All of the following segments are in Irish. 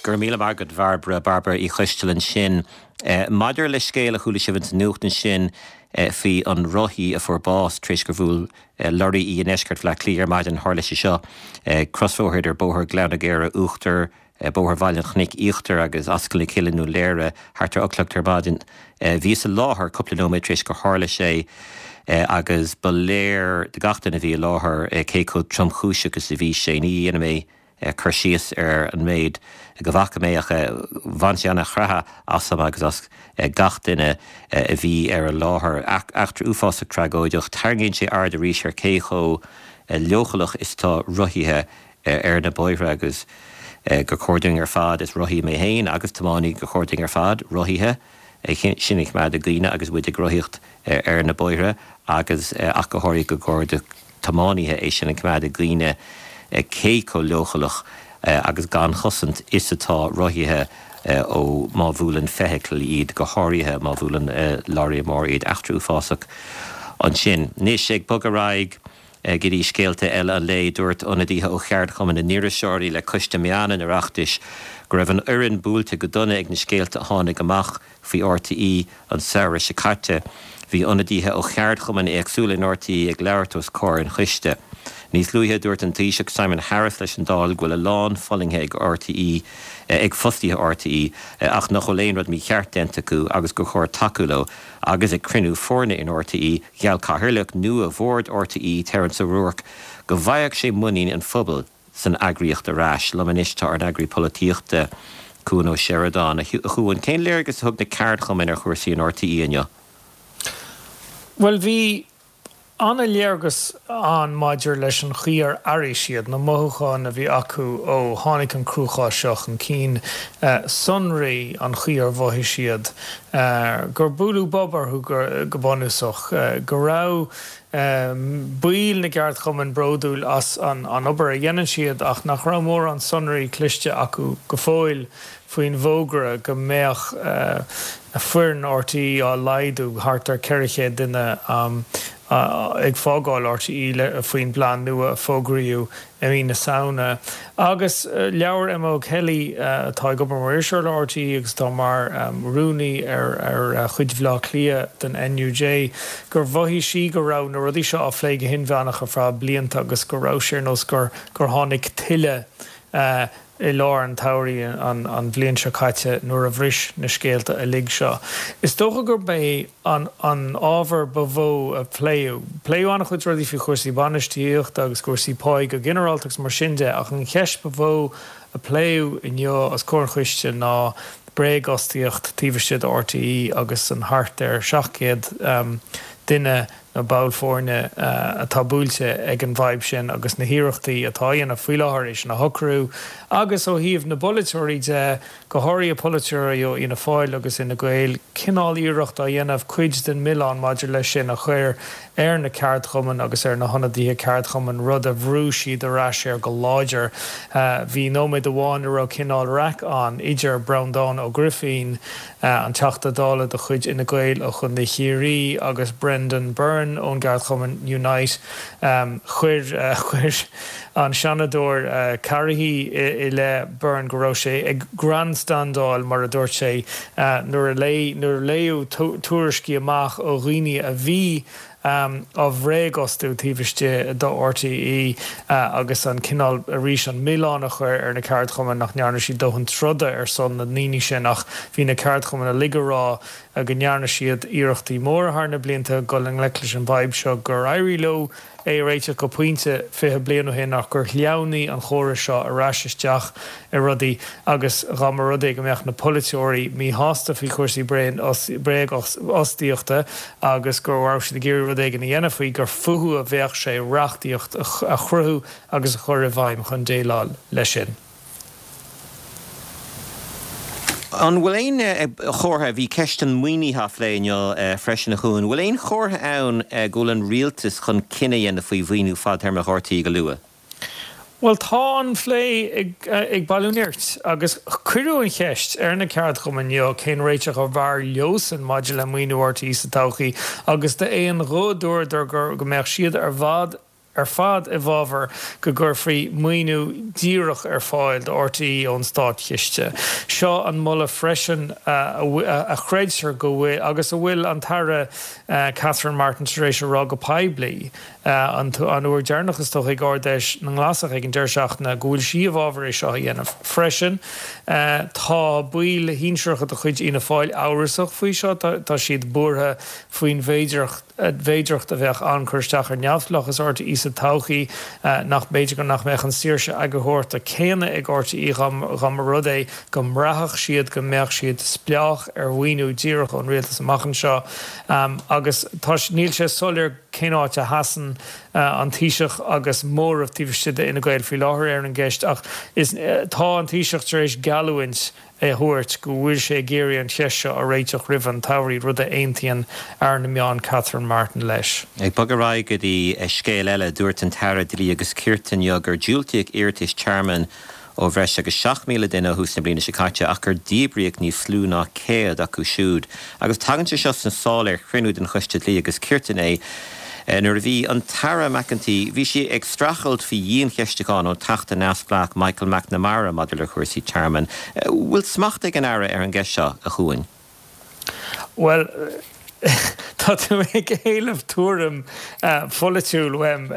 Go raibh míle maith agat, Bhairbre, Bairbre Uí Choisteala ansin. Maidir le scéal a chuala sibh ins an nuacht ansin faoi an rothaí a fuair bás tar éis gur bhuail lorraí í i ndeisceart Bhaile Átha Cliath ar maidin, tharla sé seo ag crosbhóthar idir Bóthar Ghleann na gCaora Uachtar, Bóthar Bhaile an Chnoic Íochtar agus Ascaill na Cille i nDún Léire thart ar 8 a chlog ar maidin. Bhíos i láthair cúpla nóiméad tar éis gur tharla sé agus ba léir do gach duine a bhí i láthair cé chomh tromchúiseach is a bhí sé. Ní dhéanfaidh mé cur síos ar an méid go bhfaca mé ach bhain sé an-chreathadh asam agus as gach duine a bhí ar an láthair. Eachtra uafásach tragóideach. Tarraingíonn sé aird arís ar cé chomh leochaileach is atá rothaithe ar na bóithre agus gur chóir dúinn ar fad, is rothaí mé féin agus tiománaí, gur chóir dúinn ar fad rothaithe sin a choimeád i gcuimhne agus muid ag rothaíocht ar na bóithre agus ach go háirithe go gcóir do tiománaithe é sin a choimeád i gcuimhne cé chomh leochaileach agus gan chosaint is atá rothaithe ó má bhuaileann feithicil iad, go háirithe má bhuaileann leoraí mór iad. Eachtra uafásach ansin. Anois, ag bogadh ar aghaidh go dtí scéalta eile an lae, dúirt ionadaithe ó Cheardchumann na nIriseoirí le Coiste Meán an Oireachtais go raibh an fhoireann buailte go dona ag na scéalta a tháinig amach faoi RTÉ an samhradh seo caite. Bhí ionadaithe ó cheardchumainn éagsúla in RTÉ ag labhairt os comhair an choiste. Níos luaithe, dúirt an Taoiseach Simon Harris leis an Dáil go bhfuil a lán fulaingthe ag RTÉ, ag fostaithe RTÉ, ach nach bhfuil aon rud mícheart déanta acu agus gur chóir tacú leo. Agus ag cruinniú foirne in RTÉ, gheall cathaoirleach nua bhord RTÉ, Terence O'Rourke, go bhfaigheadh sé muinín an phobail. san eagraíocht ar ais. Liom anois tá ár n-eagraí polaitíochta, Cuan Ó Seireadáin. A Chuain, cén léargas a thug na ceardchumainn ar chúrsaí in RTÉ inniu? Bhuel, bhí an-léargas ann maidir leis an chaoi ar airigh siad, na mothúcháin a bhí acu ó tháinig an cruachás seo chun cinn, sonraí an chaoi ar mhothaigh siad gur buaileadh bob orthu go bunúsach, go raibh baill na gceardchumann bródúil as an obair a dhéanann siad ach nach raibh mórán sonraí cliste acu go fóill faoin bhfógra go mbeadh foireann RTÉ á laghdú, thart ar 400 duine ag fágáil RTÉ faoin bplean nua a fógraíodh i mí na Samhna. Agus labhair Emma O'Kelly, atá ag obair mar iriseoir le RTÉ agus atá mar rúnaí ar chuid Bhaile Átha Cliath den NUJ, gur mhothaigh sí go raibh na rudaí seo á phlé go hinmheánach ar feadh blianta agus go raibh sé ar nós gur tháinig tuile i lár an tsamhraidh an bhliain seo caite nuair a bhris na scéalta uilig seo. Is dócha gurb é an ábhar ba mhó a pléadh. Pléadh an-chuid rudaí faoi chúrsaí bainistíochta agus cúrsaí páí go ginearálta agus mar sin de ach an cheist ba mhó a pléadh inniu os comhair an choiste ná bréagfhostaíocht taobh istigh de RTÉ agus an thart ar 700 duine nó ball foirne atá buailte ag an bhfadhb sin agus na hiarrachtaí atá á dhéanamh faoi láthair é sin a shocrú. Agus ó thaobh na bpolaiteoirí de, go háirithe polaiteoirí ó Fhianna Fáil agus Fhine Gael, cineál iarracht á dhéanamh cuid den mhilleán maidir leis sin a chur ar na ceardchumainn agus ar na hionadaithe ceardchumainn, rud a bhrú siad ar ais air go láidir. Bhí nóiméad amháin a raibh cineál raic ann idir Breandán Ó Grifín, an Teachta Dála de chuid Fhine Gael ó Chontae Chiarraí agus Brendan Byrne ón gceardchumann Unite. Chuir chuir an Seanadóir Carrihy i leith Byrne go raibh sé ag grandstandáil, mar a dúirt sé, nuair a nuair a léadh tuairiscí amach ó dhaoine a bhí á bhréagfhostú taobh istigh de RTÉ agus an cineál, arís, an milleán a chur ar na ceardchumainn nach ndearna siad dóthain troda ar son na ndaoine sin ach bhí na ceardchumainn uilig ag rá go ndearna siad iarrachtaí móra thar na blianta dul i ngleic leis an bhfadhb seo, gur éirigh leo é a réiteach go pointe 20 bliain ó shin ach gur shleamhnaigh an chóras seo ar ais isteach i rudaí agus dá mba rud é go mbeadh na polaiteoirí míshásta faoi chúrsaí bréagfhostaíochta agus go raibh siad ag iarraidh rud éigin a dhéanamh faoi, gur fúthu a bheadh sé reachtaíocht a chruthú agus a chur i bhfeidhm chun déileáil leis sin. An bhfuil aon chomhartha, bhí ceist an mhaoinithe á phlé inniu freisin a Chuain, an bhfuil aon chomhartha ann go bhfuil an rialtas chun cinneadh a dhéanamh faoi mhaoiniú fadtéarmach RTÉ go luath? Bhuel, tá an plé ag bailiú nirt agus cuireadh an cheist ar na ceardchumainn inniu cén réiteach ab fhearr leosan maidir le maoiniú RTÉ sa todhchaí agus d'aon ghuth dúradar go mbeadh siad ar fad. ar fad i bhfabhar go gcuirfí maoiniú díreach ar fáil do RTÉ ón státchiste. Seo an moladh freisin a chreidtear go bhfuil, agus a bhfuil an tAire Catherine Martin tar éis a rá go poiblí an uair deireanach is dócha ag Ard-Fheis na nGlasach ag an deireadh seachtaine, go bhfuil sí i bhfabhar é seo a dhéanamh freisin. Tá baill shinsearacha de chuid Fhianna Fáil amhrasach faoi seo, tá siad buartha faoin bhféidearthacht, bhféidearthacht a bheadh ann cur isteach ar neamhspleáchas RTÉ sa todhchaí, nach mb'fhéidir go nach mbeadh an saoirse eagarthóireachta céanna ag RTÉ dá mba rud é go mbraithfeadh siad go mbeadh siad spleách ar mhaoiniú díreach ón rialtas amach anseo. Agus tá, níl sé soiléir cén áit a sheasann an Taoiseach agus móramh taobh istigh d'Fhine Gael faoi láthair ar an gceist ach is, tá an Taoiseach tar éis geallúint, a thabhairt go bhfuil sé ag iarraidh an cheist seo a réiteach roimh an tsamhraidh, rud a aontaíonn Aire na Meán Catherine Martin leis. Ag bogadh ar aghaidh go dtí scéal eile, dúirt an tAire Dlí agus Cirt inniu gur diúltaíodh iarratais tearmainn ó bhreis agus 7,000 duine ó thús na bliana seo caite ach gur díbríodh níos lú ná 100 acu siúd. Agus tagann sé seo sna sála ar chruinniú den Choiste Dlí agus Cirt inné. Nuair a bhí an tAire McEntee, bhí sí ag streachailt faoi dhiancheistiúchán ón Teachta neamhspleách Michael McNamara maidir le cúrsaí tearmainn. Bhfuil smacht ag an Aire ar an gceist seo, a Chuain? Bhuel, tá tú ag éileamh tuairim pholaitiúil uaim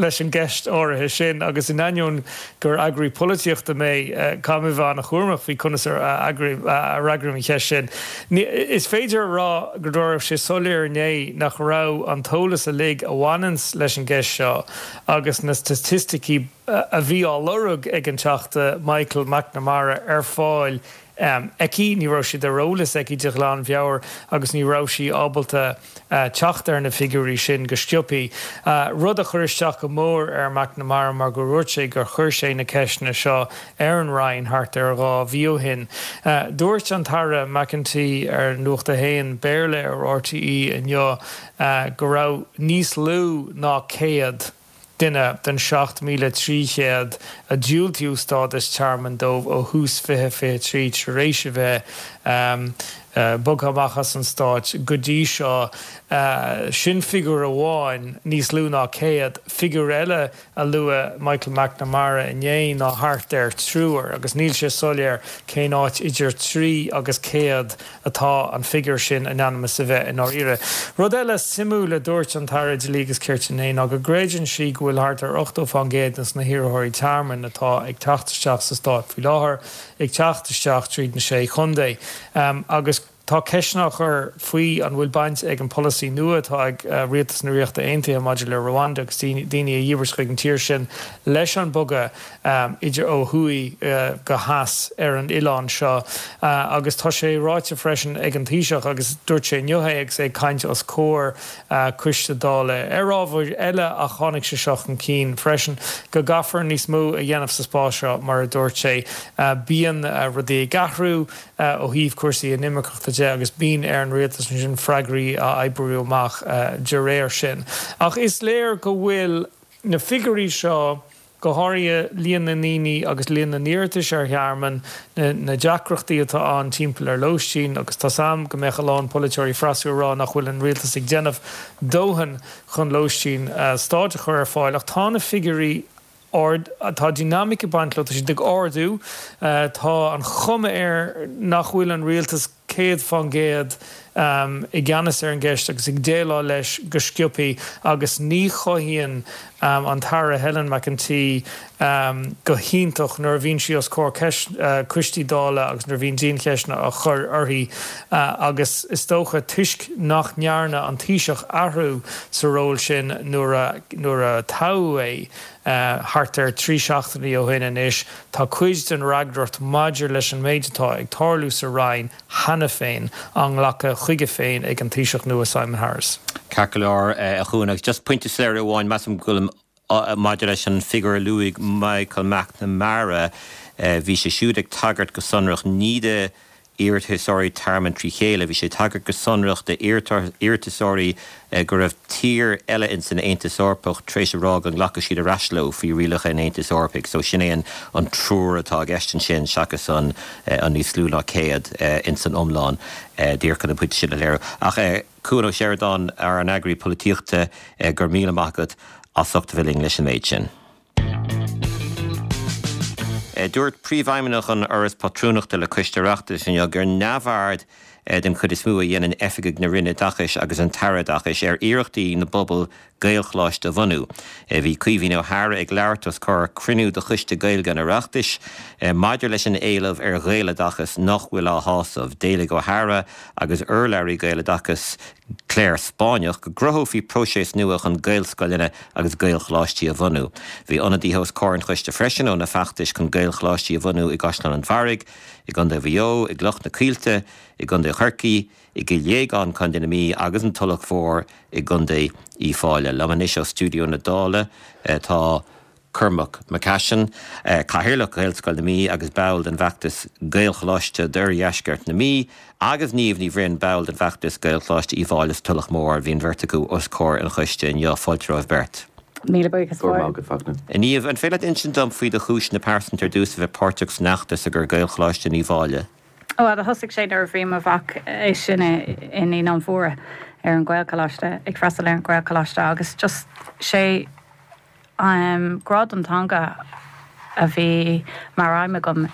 leis an gceist áirithe sin agus in ainneoin gur eagraí polaitíochta mé, caithfidh mé a bheith an-chúramach faoi conas a fhreagraím an cheist sin. Is féidir a rá go raibh sé soiléir inné nach raibh an t-eolas uilig a bhaineanns leis an gceist seo agus na staitisticí a bhí á lorg ag an Teachta Michael McNamara ar fáil aici. Ní raibh siad ar eolas aici de ghlanmheabhair agus ní raibh sí ábalta teacht ar na figiúirí sin go sciobtha, rud a chuir isteach go mór ar McNamara mar gur dhúirt sé gur chuir sé na ceisteanna seo ar an Roinn thart ar 2 mhí ó shin. Dúirt an tAire McEntee ar Nuacht a hAon, Béarla ar RTÉ inniu go raibh níos lú ná 100 duine den 7,300 a diúltaíodh stádas tearmainn dóibh ó thús 2023 tar éis a bheith bogtha amach as an Stát go dtí seo. Sin figiúr amháin, níos lú ná 100. Figiúr eile a luaigh Michael McNamara inné ná thart ar triúr agus níl sé soiléir cén áit idir trí agus 100 atá an figiúr sin in ainm is a bheith i ndáiríre. Rud eile suimiúil a dúirt an tAire Dlí agus Cirt inné ná go gcreideann sí go bhfuil thart ar 80 fán gcéad de na hiarrthóirí tearmainn atá ag teacht isteach sa stát faoi láthair ag teacht isteach tríd na Sé Chontae agus tá ceisteanna á chur faoi an bhfuil baint ag an polasaí nua atá ag Rialtas na Ríochta Aontaithe maidir le Rwanda agus daoine a dhíbirt chuig an tír sin leis an bogadh idir ó thuaidh go theas ar an oileán seo agus tá sé ráite freisin ag an Taoiseach agus dúirt sé inniu é agus é ag caint os comhair coiste Dála ar ábhair eile ach tháinig sé seo chun cinn freisin go gcaithfear níos mó a dhéanamh sa spás seo mar a dúirt sé bíonn rudaí ag athrú ó thaobh cúrsaí inimirceachta de agus bíonn ar an rialtas ansin freagraí a oibriú amach de réir sin ach is léir go bhfuil na figiúirí seo go háirithe líon na ndaoine agus líon na n-iarratais ar thearmann, na deacrachtaí atá ann timpeall ar lóistín agus tá's a'm go mbeadh a lán polaiteoirí freasúra ag rá nach bhfuil an rialtas ag déanamh dóthain chun lóistín stáit a chur ar fáil ach tá na figiúirí ard, tá dinimic ag baint leo, tá siad ag ardú, tá an chuma air nach bhfuil an rialtas 100% i gceannas ar an gceist agus ag déileáil leis go sciobtha agus ní chothaíonn an tAire Helen McEntee go hiontach nuair a bhíonn sí os comhair coistí Dála agus nuair a bhíonn diancheisteanna á chur uirthi agus is dócha toisc nach ndearna an Taoiseach athrú sa ról sin nuair a nuair a toghadh é thart ar 3 seachtainí ó shin anois. Tá cuid den fhreagracht maidir leis an méid atá ag tarlú sa Roinn cheana féin á nglacadh chuige féin ag an Taoiseach nua Simon Harris. Ceart go leor, a Chuain, agus just pointe soiléire amháin, measaim go bhfuilim maidir leis an figiúr a luaigh Michael McNamara, bhí sé siúd ag tagairt go sonrach ní do iarratasóirí tearmainn trí chéile. Bhí sé ag tagairt go sonrach d'iarratasóirí go raibh tír eile ins an Aontas Eorpach tar éis a rá go nglacfadh siad ar ais leo faoi rialacha an Aontais Eorpaigh. So sin é an triúr atá i gceist ansin seachas an níos lú ná 100 ins an iomlán. Díreach chun an pointe sin a léiriú. Ach Cuan Ó Seireadáin, ár n-eagraí polaitíochta, go raibh míle maith agat. as ucht a bheith linn leis an méid sin. Dúirt Príomhfheidhmeannach an Fhorais Pátrúnachta le Coiste Oireachtais inniu gur neamhaird den chuid is mó a dhéanann oifigigh na Roinne Oideachais agus an tAire Oideachais ar iarrachtaí na bpobal Gaelcholáiste a bhunú. Bhí Caoimhín Ó hEadhra ag labhairt os comhair cruinniú de Choiste Gaeilge an Oireachtais maidir leis an éileamh ar Ghaeloideachas nach bhfuil á shásamh. D'éiligh Ó hEadhra agus urlabhraí Gaeloideachais Clare Spáinneach go gcruthófaí próiseas nua chun Gaelscoileanna agus Gaelcholáistí a bhunú. Bhí ionadaithe os comhair an choiste freisin ó na feachtais chun Gaelcholáistí a bhunú i gCaisleán an Bharraigh, i gContae Mhaigh Eo, i gCloich na Coillte, i gContae Chorcaí, i gCill Dhéagáin, Contae na Mí agus an Tulach Mhór i gContae Uíbh Fhailí. Liom anois ó stiúideo na Dála tá Cormac McCashin, Cathaoirleach Ghaelscoil na Mí agus ball den bhfeachtas Gaelcholáiste d'Oirdheisceart na Mí, agus Niamh Ní Bhroin, ball den bhfeachtas Gaelcholáiste Uíbh Fhailí sa Tulach Mhór. Bhí an bheirt acu os comhair an choiste inniu. Fáilte romhaibh beirt. Míle buíochas Go raibh maith agat, Fachtna. A Niamh, an féidir leat insint dom faoi do chúiseanna pearsanta ar dtús a bheith páirteach san fheachtas i gcomhair Gaelcholáiste in Uíbh Fhailí? Bhuel, do thosaigh sé nuair a bhí mo mhac is sine i Naíonáin Mhóra ar an Ghaelcholáiste, ag freastal ar an Ghaelcholáiste agus just sé grá don teanga a bhí mar aidhm agam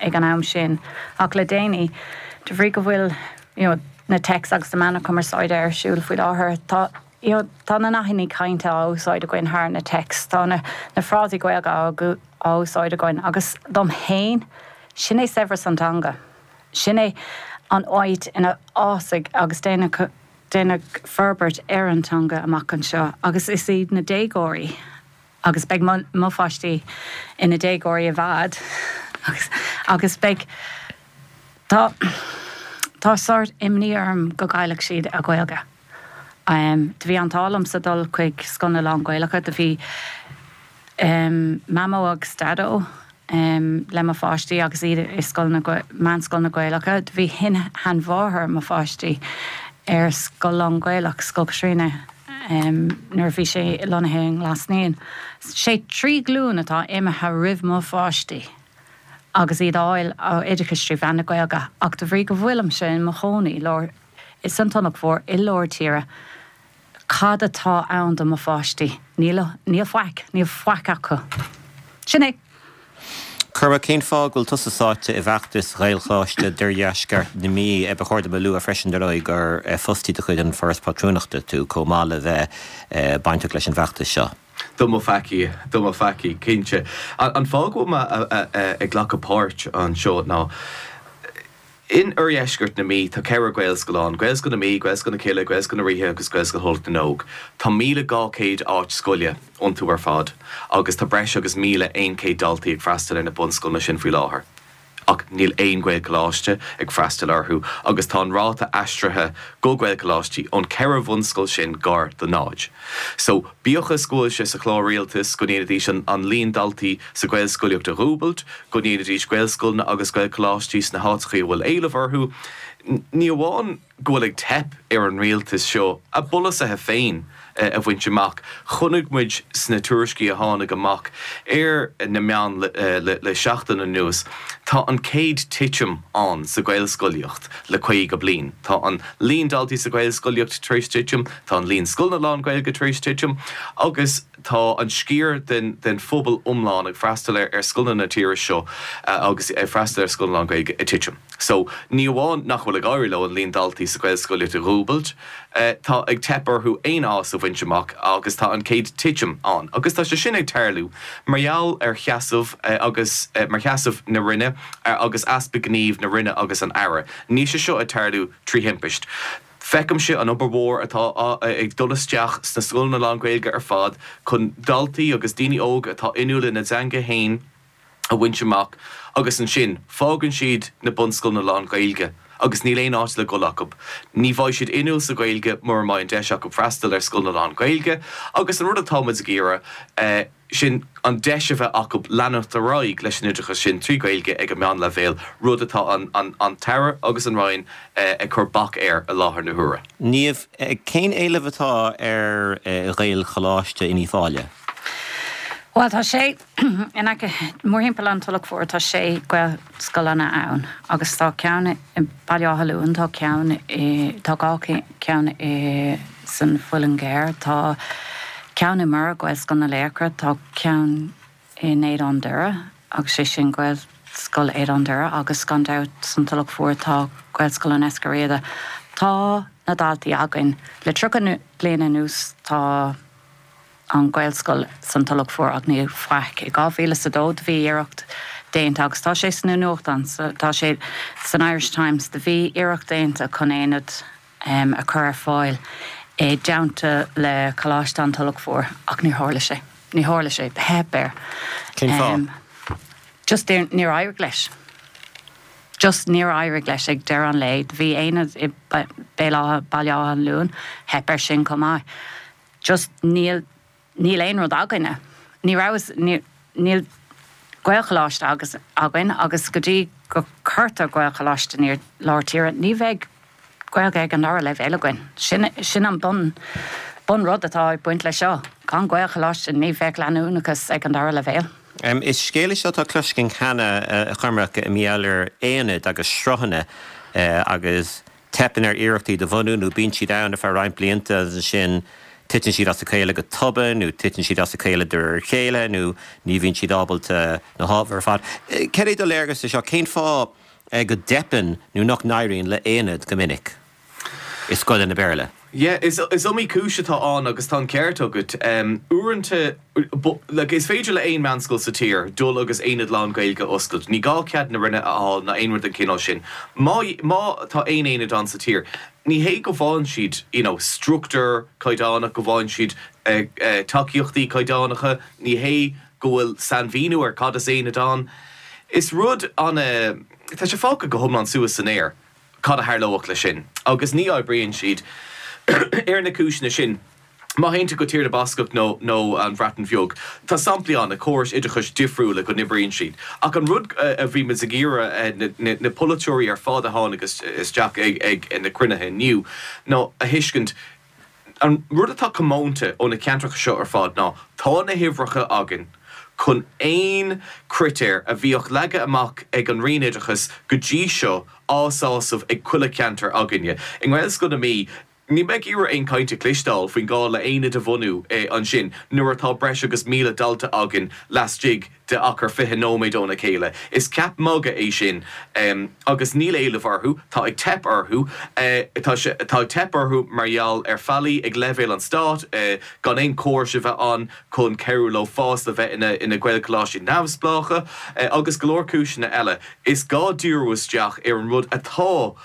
ag an am sin. Ach le déanaí, de bhrí go bhfuil you know na texts agus na meáin chumarsáide ar siúl faoi láthair, tá you know tá na nathanna cainte á úsáid againn thar na texts, tá na na frásaí Gaeilge á á úsáid againn agus dom fhéin, sin é saibhreas an teanga. Sin é an áit ina fhásfaidh agus déanfaidh déanfaidh forbairt ar an teanga amach anseo agus is iad na déagóirí agus beidh mo mo pháistí ina déagóirí i bhfad agus agus beidh tá tá sórt imní orm go gcaillfidh siad a Ghaeilge. Do bhí an t-ádh liomsa dul chuig scoileanna lán-Ghaelacha, do bhí Mamó agus Daideo le mo pháistí agus iad i scoileanna, meánscoileanna Gaelacha. Do bhí shin-sheanmháthair mo pháistí ar scoil lán-Ghaelach, Scoil Chaitríona, nuair a bhí sé lonnaithe i nGlas Naíon. Sé 3 ghlúin atá imithe roimh mo pháistí agus iad á fháil oideachais trí mheán na Gaeilge ach de bhrí go bhfuilimse i mo chónaí lár san Tulach Mhór i lár tíre, Cad atá ann do mo pháistí? Níl, níl faic, níl faic acu. Sin é. Cormac, cén fáth go bhfuil tusa sáite i bhfeachtas Ghaelcholáiste d'Oirdheisceart na Mí? Ba chóir dom a lua freisin, dar ndóigh, gur fostaí de chuid an Foras Pátrúnachta tú, chomh maith le bheith bainteach leis an bhfeachtas seo. Do mo pheacaí, do mo pheacaí, cinnte. An fáth go bhfuil mé ag glacadh páirt anseo ná, In oirdheisceart na Mí tá 4 Ghaelscoil ann, Gaelscoil na Mí, Gaelscoil na Cille, Gaelscoil na Ríthe agus Gaelscoil Thulach na nÓg. Tá 1,200 áit scoile iontu ar fad agus tá breis agus 1,100 daltaí ag freastal ar na bunscoileanna sin faoi láthair. Ach níl aon Ghaelcholáiste ag freastal orthu agus tá an ráta aistrithe go Gaelcholáistí ón 4 bhunscoil sin gar do náid. So, bíodh is go bhfuil sé sa chlár rialtais go ndéanfaidís an líon daltaí sa Ghaelscolaíocht a dhúbailt, go ndéanfaidís Gaelscoileanna agus Gaelcholáistí sna háiteachaí a bhfuil éileamh orthu, ní amháin go bhfuil ag teip ar an rialtas seo a bpolasaithe féin a bhaint amach, chonaic muid sna tuairiscí a tháinig amach ar na meáin le seachtain anuas, tá an chéad titim ann sa Ghaelscolaíocht le 50 bliain. Tá an líon daltaí sa Ghaelscolaíocht tar éis titim, tá an líon scoileanna lán-Ghaeilge tar éis titim agus tá an sciar den phobal iomlán ag freastal ar scoileanna na tíre seo agus ag freastal ar scoileanna lán-Ghaeilge ag titim. So, ní amháin nach bhfuil ag éirí leo an líon daltaí sa Ghaelscolaíocht a dhúbailt, tá ag teip orthu aon fhás a bhaint amach agus tá an chéad titim ann. Agus tá sé sin ag tarlú mar gheall ar sheasamh agus mar sheasamh na Roinne agus easpa gnímh na Roinne agus an Aire. Níl sé seo ag tarlú trí thimpist. Feicimse an obair mhór atá ag dul isteach sna scoileanna lán-Ghaeilge ar fad chun daltaí agus daoine óga atá inniúil ina dteanga fhéin a bhaint amach agus ansin fágann siad na bunscoileanna lán-Ghaeilge agus níl aon áit le dul acu. Ní bheidh siad inniúil sa Ghaeilge mura mbeidh an deis acu freastal ar scoileanna lán-Ghaeilge agus an rud atá muid ag iarraidh, sin an deis a bheith acu leanacht ar aghaidh leis an oideachas sin trí Ghaeilge ag an meánleibhéal, rud atá an tAire agus an Roinn ag cur bac air i láthair na huaire. Niamh, cén éileamh atá ar Ghaelcholáiste in Uíbh Fhailí? Bhuel, tá sé in aice, mórthimpeall an Tulach Mhór, tá sé Gaelscoileanna ann agus tá ceann i Baile Átha Luain, tá ceann i, tá dhá cheann i san Mhuileann gCearr, tá. ceann i mBiorra, Gaelscoil na Laochra, tá ceann in Éadan Doire agus sé sin Gaelscoil Éadan Doire agus gan dabht san Tulach Mhór tá Gaelscoil an Eiscir Riada. Tá na daltaí againn. Le 30 bliain anuas tá an Ghaelscoil san Tulach Mhór ach níl faic. I 2002 do bhí iarracht déanta agus tá sé sna nuachtáin, tá sé san Irish Times, do bhí iarracht déanta chun aonad a chur ar fáil i dteannta le Coláiste an Tulach Mhór ach níor tharla sé. Ní tharla sé. Theip air. Cén fáth? Just níor éirigh leis. Just níor éirigh leis ag deireadh an lae. Do bhí aonad i Béal Átha, Baile Átha an Luain, theip air sin chomh maith. Just níl, níl aon rud againne. Ní raibh, níl Gaelcholáiste agus, againn agus go dtí go cuirtear Gaelcholáiste in lár tíre, ní bheidh Gaeilge ag an dara leibhéal againn. Sin, sin an bun, bun rud atá ag baint leis seo. Gan Gaelcholáiste ní bheadh leanúnachas ag an dara leibhéal. Is scéal é seo atá cloiste againn cheana, a Chormaic, i ngeall ar aonaid agus sruthanna agus teipeann ar iarrachtaí do bhunú nó bíonn siad ann ar feadh roinnt blianta agus ansin titeann siad as a chéile go tobann nó titeann siad as a chéile de réir a chéile nó ní bhíonn siad ábalta na hábhair ar fad. Cad é do léargas ar seo? Cén fáth go dteipeann nó nach n-éiríonn le haonaid go minic i scoileanna Béarla? Yeah, is iomaí cúis atá ann agus tá an ceart agat. Uaireanta, like, is féidir le aon meánscoil sa tír dul agus aonad lán-Ghaeilge a oscailt. Ní gá cead na Roinne a fháil ná aon rud den chineál sin. Má, má tá aon aonad ann sa tír, ní hé go bhfaigheann siad, you know, struchtúr caighdeánach, go bhfaigheann siad tacaíochtaí caighdeánacha, ní hé go bhfuil sainmhíniú ar cad is aonad ann. Is rud ana, tá sé fágtha go hiomlán suas san aer. cad a tharlódh leis sin agus ní oibríonn siad ar na cúiseanna sin. Má théann tú go Tír na Bascach nó nó an Bhreatain Bheag, tá samplaí ann i córais oideachais difriúla go n-oibríonn siad. Ach an rud a bhí muid ag iarraidh na polaiteoirí ar fad a tháinig isteach ag na cruinnithe inniu ná a thuiscint, An rud atá comónta ó na ceantracha seo ar fad ná tá na huimhreacha againn chun aon chritéar a bhíodh leagtha amach ag an Roinn Oideachais go dtí seo á sásamh ag chuile cheantar againne. I nGaelscoil na Mí, níl mé ag iarraidh aon chaint a chloisteáil faoin gá le haonad a bhunú ansin nuair atá breis agus 1,000 dalta againn laistigh de achar 20 nóiméad óna chéile. Is ceap magaidh é sin agus níl éileamh orthu, tá ag teip orthu. Tá sé, tá ag teip orthu mar gheall ar faillí ag leibhéal an stáit, gan aon chórais a bheith ann chun cabhrú leo fás le bheith ina ina Gaelcholáistí neamhspleácha agus go leor cúiseanna eile. Is gá díriú isteach ar an rud atá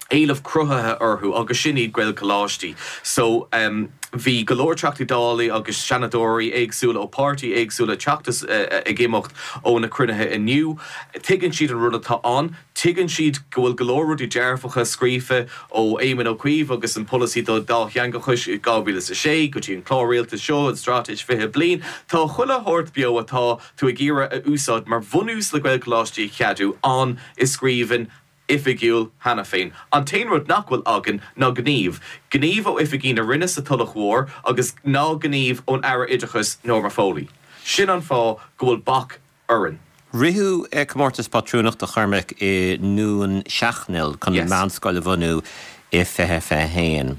éileamh cruthaithe orthu agus sin iad Gaelcholáistí. So bhí go leor Teachtaí Dála agus Seanadóirí éagsúla ó páirtí éagsúla ag teacht is ag imeacht ó na cruinnithe inniu. Tuigeann siad an rud atá ann. Tuigeann siad go bhfuil go leor rudaí dearfacha scríofa ó Éamon Ó Cuív agus an polasaí do dátheangachais i 2006 go dtí an clár rialtais seo, an Straitéis 20 Bliain. Tá chuile shórt beo atá tú ag iarraidh a úsáid mar bhunús le Gaelcholáistí a cheadú ann i scríbhinn oifigiúil cheana féin. An t-aon rud nach bhfuil againn ná gníomh. Gníomh ó oifigí na Roinne sa Tulach Mhór agus ná gníomh ón Aire Oideachais Norma Foley. Sin an fáth go bhfuil bac orainn. Ritheadh comórtas pátrúnachta a Chormaic i nDún Seachnaill chun meánscoil a bhunú i 2021.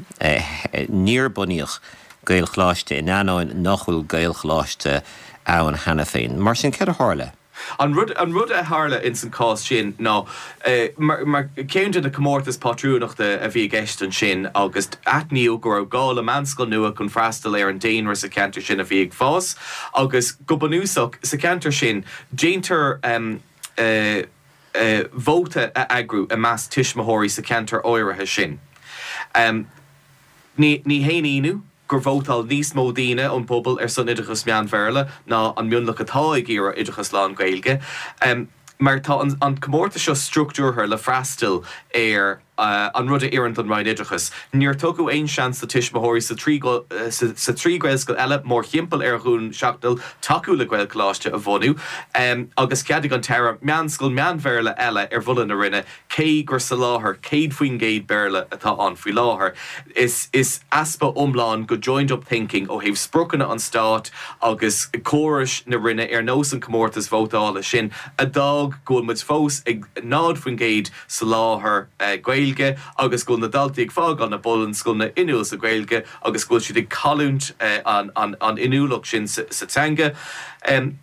Níor bunaíodh Gaelcholáiste in ainneoin nach bhfuil Gaelcholáiste ann cheana féin. Mar sin, céard a tharla? An rud, an rud a tharla ins an cás sin ná, mar, mar ceann de na comórtais pátrúnachta a bhí i gceist ansin agus aithníodh go raibh gá le meánscoil nua chun freastal ar an daonra sa cheantar sin a bhí ag fás agus go bunúsach sa cheantar sin déantar vóta a eagrú i measc tuismitheoirí sa cheantar áirithe sin. Ní, ní haon ionadh gur vótáil níos mó daoine ón bpobal ar son oideachas meán-Bhéarla ná an mionlach atá ag iarraidh oideachas lán-Ghaeilge, mar tá an comórtas seo struchtúrtha le freastal ar an rud a oireann don Roinn Oideachais. Níor tugadh aon seans do tuismitheoirí sa sa trí Ghaelscoil eile mórthimpeall ar Dhún Seachnaill tacú le Gaelcholáiste a bhunú, agus cheadaigh an tAire meánscoil meán-Bhéarla eile ar mholadh na Roinne Cé gur soláthar 100% Béarla atá ann faoi láthair, is is easpa iomlán go joined up thinking ó thaobh spriocanna an stáit agus córais na Roinne ar nós an comórtas vótála sin a d'fhág go bhfuil muid fós ag 0% soláthar Gaeilge. Gaeilge agus go bhfuil na daltaí ag fágáil na bunscoileanna inniúil sa Ghaeilge agus go bhfuil siad ag cailliúint an inniúlacht sin sa teanga.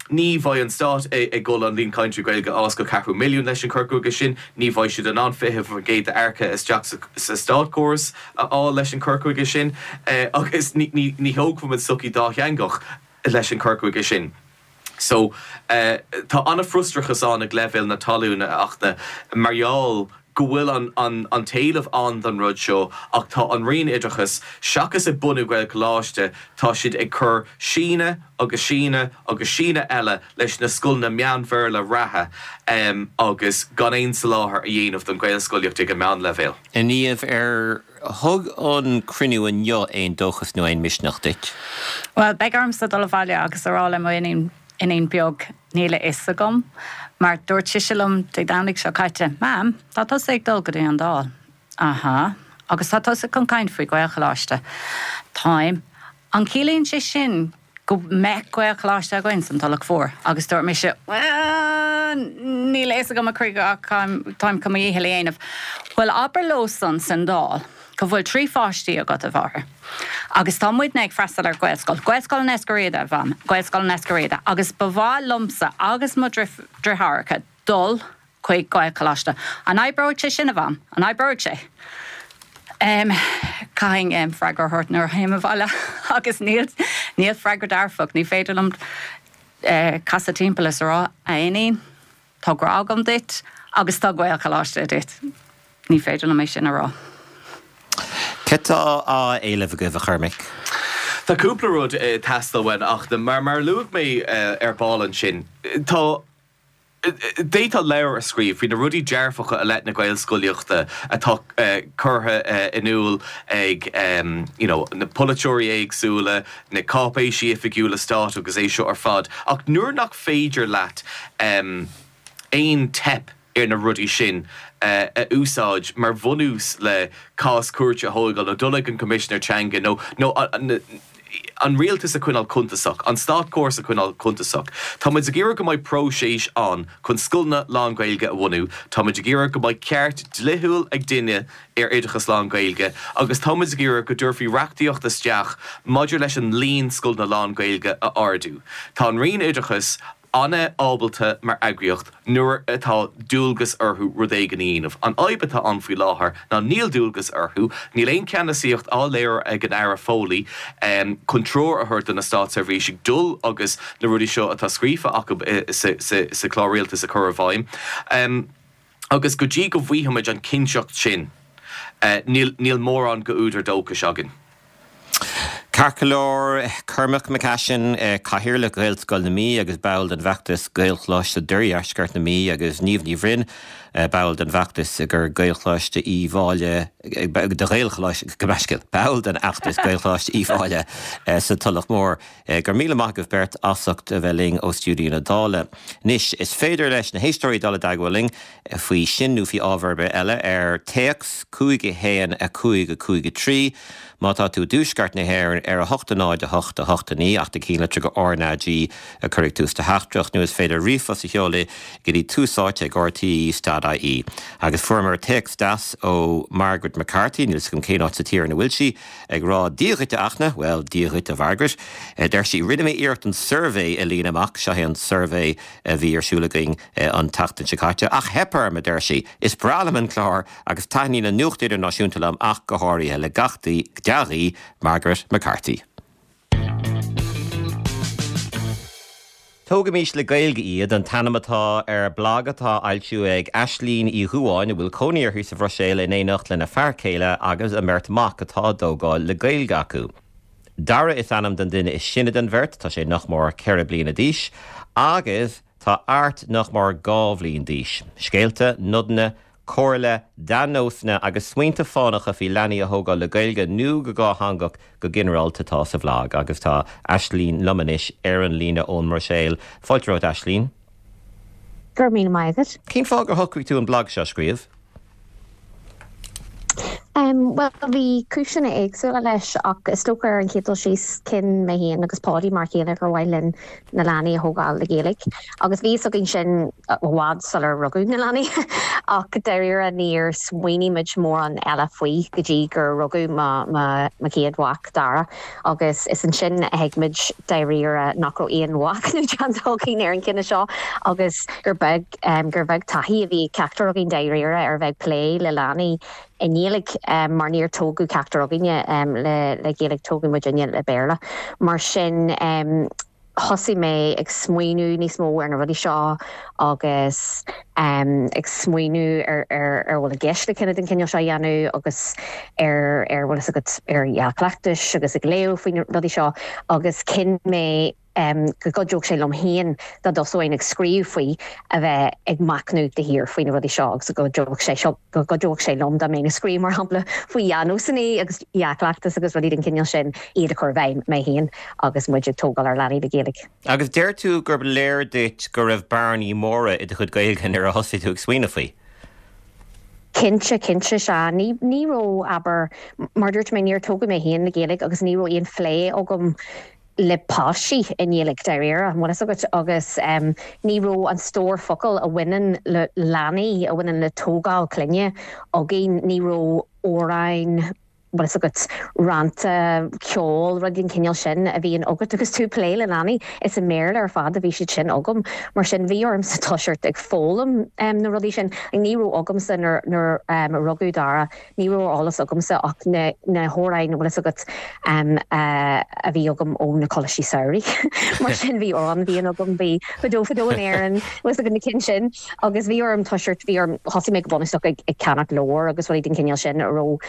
Ní bheidh an stát ag dul an líon cainteoirí Gaeilge a fhás go ceathrú milliún leis an cur chuige sin, ní bheidh siad in ann 20% d'earcaithe isteach sa státchóras a fháil leis an cur chuige sin agus ní thógfaimid sochaí dátheangach leis an cur chuige sin. So, tá an-fhrustrachas ann ag leibhéal na talún, a Fhachtna, mar gheall go bhfuil an an t-éileamh ann don rud seo ach tá an Roinn Oideachais, seachas ag bunú Gaelcholáiste, tá siad ag cur síneadh agus síneadh agus síneadh eile leis na scoileanna meán-Bhéarla reatha agus gan aon soláthar a dhéanamh don Ghaelscolaíocht ag an meánleibhéal. A Niamh, ar thug an cruinniú inniu aon dóchas nó aon misneach duit? Bhuel, beidh ormsa dul abhaile agus a rá le mo iníon, iníon beag, níl a fhios agam, mar dúirt sise liom Dé Domhnaigh seo caite, Mam, tá tusa ag dul go dtí an Dáil. Aha. Agus tá tusa chun caint faoi Ghaelcholáiste. Táim. An ciallaíonn sé sin go mbeidh Gaelcholáiste againn san Tulach Mhór? Agus dúirt mise, Bhuel, níl a fhios agam a chroí ach táim chun mo dhícheall a dhéanamh. Bhuel, abair leosan san Dáil go bhfuil 3 pháistí agat, a mháthair, agus tá muidne ag freastal ar Ghaelscoil, Gaelscoil an Eiscir Riada, a mham, Gaelscoil an Eiscir Riada, agus ba mhaith liomsa agus mo dhriotháireacha dul chuig Gaelcholáiste. An oibreoidh sé sin, a Mham? An oibreoidh sé? Caithfidh freagra a thabhairt nuair a théim abhaile agus níl, níl freagra dearfach. Ní féidir liom casadh timpeall is a rá, a iníon, tá grá agam duit agus tá Gaelcholáiste duit. Ní féidir liom é sin a rá. Cad tá á éileamh agaibh, a Chormaic? Tá cúpla rud ag teastáil uainn ach mar, mar a luaigh mé ar ball ansin, tá. D'fhéadfá leabhar a scríobh faoi na rudaí dearfacha i leith na Gaelscolaíochta atá curtha in iúl ag you know na polaiteoirí éagsúla, na cáipéisí oifigiúla stáit agus é seo ar fad ach nuair nach féidir leat aon teip ar na rudaí sin a úsáid mar bhunús le cás cúirte a thógáil nó dul ag an Choimisinéir Teanga nó nó an rialtas a choinneáil cuntasach, an státchóras a choinneáil cuntasach. Tá muid ag iarraidh go mbeidh próiseas ann chun scoileanna lán-Ghaeilge a bhunú, tá muid ag iarraidh go mbeidh ceart dlíthiúil ag duine ar oideachas lán-Ghaeilge agus tá muid ag iarraidh go dtabharfaí reachtaíocht isteach maidir leis an líon scoileanna lán-Ghaeilge a ardú. Tá an Roinn Oideachais an-ábalta mar eagraíocht nuair atá dualgas orthu rud éigin a dhéanamh. An fhadhb atá ann faoi láthair ná níl dualgas orthu, níl aon cheannasaíocht á léiriú ag an Aire Foley chun treoir a thabhairt do na státseirbhísigh dul agus na rudaí seo atá scríofa acu sa chlár rialtais a chur i bhfeidhm. Agus go dtí go bhfaighimid an chinnteacht sin, níl mórán d'údar dóchais againn. Ceart go leor, Cormac McCashin, Cathaoirleach Ghaelscoil na Mí agus ball den bhfeachtas Gaelcholáiste d'Oirdheisceart na Mí agus Niamh Ní Bhroin, ball den bhfeachtas gur Gaelcholáiste Uí Mháille, do Ghaelcholáiste, gabh mo leithscéal, ball den fheachtas Gaelcholáiste Uí Mháille sa Tulach Mhór. Go raibh míle maith agaibh beirt as ucht a bheith linn ó stiúideo na Dála. Anois, is féidir leis na héisteoirí dul i dteagmháil linn faoi sin nó faoi ábhar ar bith eile ar téacs 5 1 5 5 3, má tá tú i dtuaisceart na hÉireann ar 8 0 8 8 9 ach do chinnlitir go RnaG a chur ag tús do theachtaireacht nó is féidir ríomhphost a sheoladh go dtí túsáite ag rte.ie. Agus fuaireamar téacs deas ó Margaret McCarthy, níl 'fhios agam cén áit sa tír ina bhfuil sí, Ag rá Dia dhuit a Fhachtna, bhuel, Dia dhuit a Mhargaret, a deir sí, rinne mé iarracht an suirbhé a líonadh amach, seo é an suirbhé a bhí ar siúl againn an tseachtain seo caite, ach theip orm, a deir sí. Is breá liom an clár agus taitníonn an nuacht idirnáisiúnta liom ach go háirithe. Le gach dea-ghuí, Margaret McCarthy. Tógaimís le Gaeilge iad an t-ainm atá ar bhlag atá á fhoilsiú ag Aislínn Uí Dhubháin, a bhfuil cónaí uirthi sa Bhruiséil in éineacht lena fear céile agus a mbeirt mhac atá á dtógáil le Gaeilge acu. Dara is ainm don duine is sine den bheirt, tá sé nach mór 4 bliana d'aois, agus tá Art nach mór 2 bhliain d'aois. Scéalta, nodanna, comhairle, dea-nósanna agus smaointe fánacha faoi leanaí a thógáil le Gaeilge nó go dhátheangach go ginearálta atá sa bhlag agus tá Aislínn liom anois ar an líne ón mBruiséil. Fáilte romhat Aislínn. Go raibh míle maith agat. Cén fáth gur shocraigh tú an blag seo a scríobh? Bhuel, bhí cúiseanna éagsúla leis ach is dócha ar an chéad dul síos, chinn mé féin agus Páidí mar a chéile gur mhaith linn na leanaí a thógáil le Gaeilge agus bhí fhios againn sin i bhfad sular rugadh na leanaí ach dáiríre níor smaoinigh muid mórán eile faoi go dtí gur rugadh mo mo chéad mhac, Dara, agus is ansin a thuig muid dáiríre nach raibh aon mhachnamh déanta againn ar an chinneadh seo agus gur beag gur bheag taithí a bhí ag ceachtar againn dáiríre ar bheith ag plé le leanaí i nGaeilge mar níor tógadh ceachtar againne le Gaeilge, tógadh muidinne le Béarla. Mar sin thosaigh mé ag smaoineamh níos mó ar na rudaí seo agus ag smaoineamh ar ar ar bhfuil i gceist le cinneadh den chineál seo a dhéanamh agus ar ar bhfuil fhios agat ar dhea-chleachtais agus ag léamh faoi na rudaí seo agus chinn mé go gcuideodh sé liom féin dá dtosóinn ag scríobh faoi, a bheith ag machnamh de shíor faoi na rudaí seo agus go gcuideodh sé seo, go gcuideodh sé liom dá mbeinn ag scríobh, mar shampla, faoi dhea-nósanna agus dhea-chleachtas agus rudaí den chineál sin, iad a chur i bhfeidhm mé féin agus muid ag tógáil ár leanaí le Gaeilge. Agus deir tú gur léir duit go raibh bearnaí móra i do chuid Gaeilge nuair a thosaigh tú ag smaoineamh faoi. Cinnte, cinnte, sea. Ní, ní raibh, abair, mar a dúirt mé, níor tógadh mé féin le Gaeilge agus ní raibh aon phlé agam le páistí i nGaeilge dáiríre, an bhfuil fhios agat, agus ní raibh an stór focal a bhaineann le leanaí, a bhaineann le tógáil clainne againn, ní raibh amhráin, bhfuil fhios agat, rannta, ceol, rudaí den chineál sin a bhíonn agat agus tú ag plé le leanaí. Is i mBéarla ar fad a bhí siad sin agam. Mar sin bhí ormsa toiseacht ag foghlaim na rudaí sin. Ní raibh agamsa nuair a rugadh Dara, Ní raibh ar eolas agamsa ach na na hamhráin, an bhfuil fhios agat, a bhí agam ó na coláistí samhraidh. Mar sin bhí Amhrán na bhFiann agam, bhí Fadó Fadó in Éirinn, bhfuil fhios agat, na cinn sin. Agus bhí orm toiseacht, bhí orm, thosaigh mé go bunúsach ag ag ceannach leabhar agus rudaí den chineál sin a raibh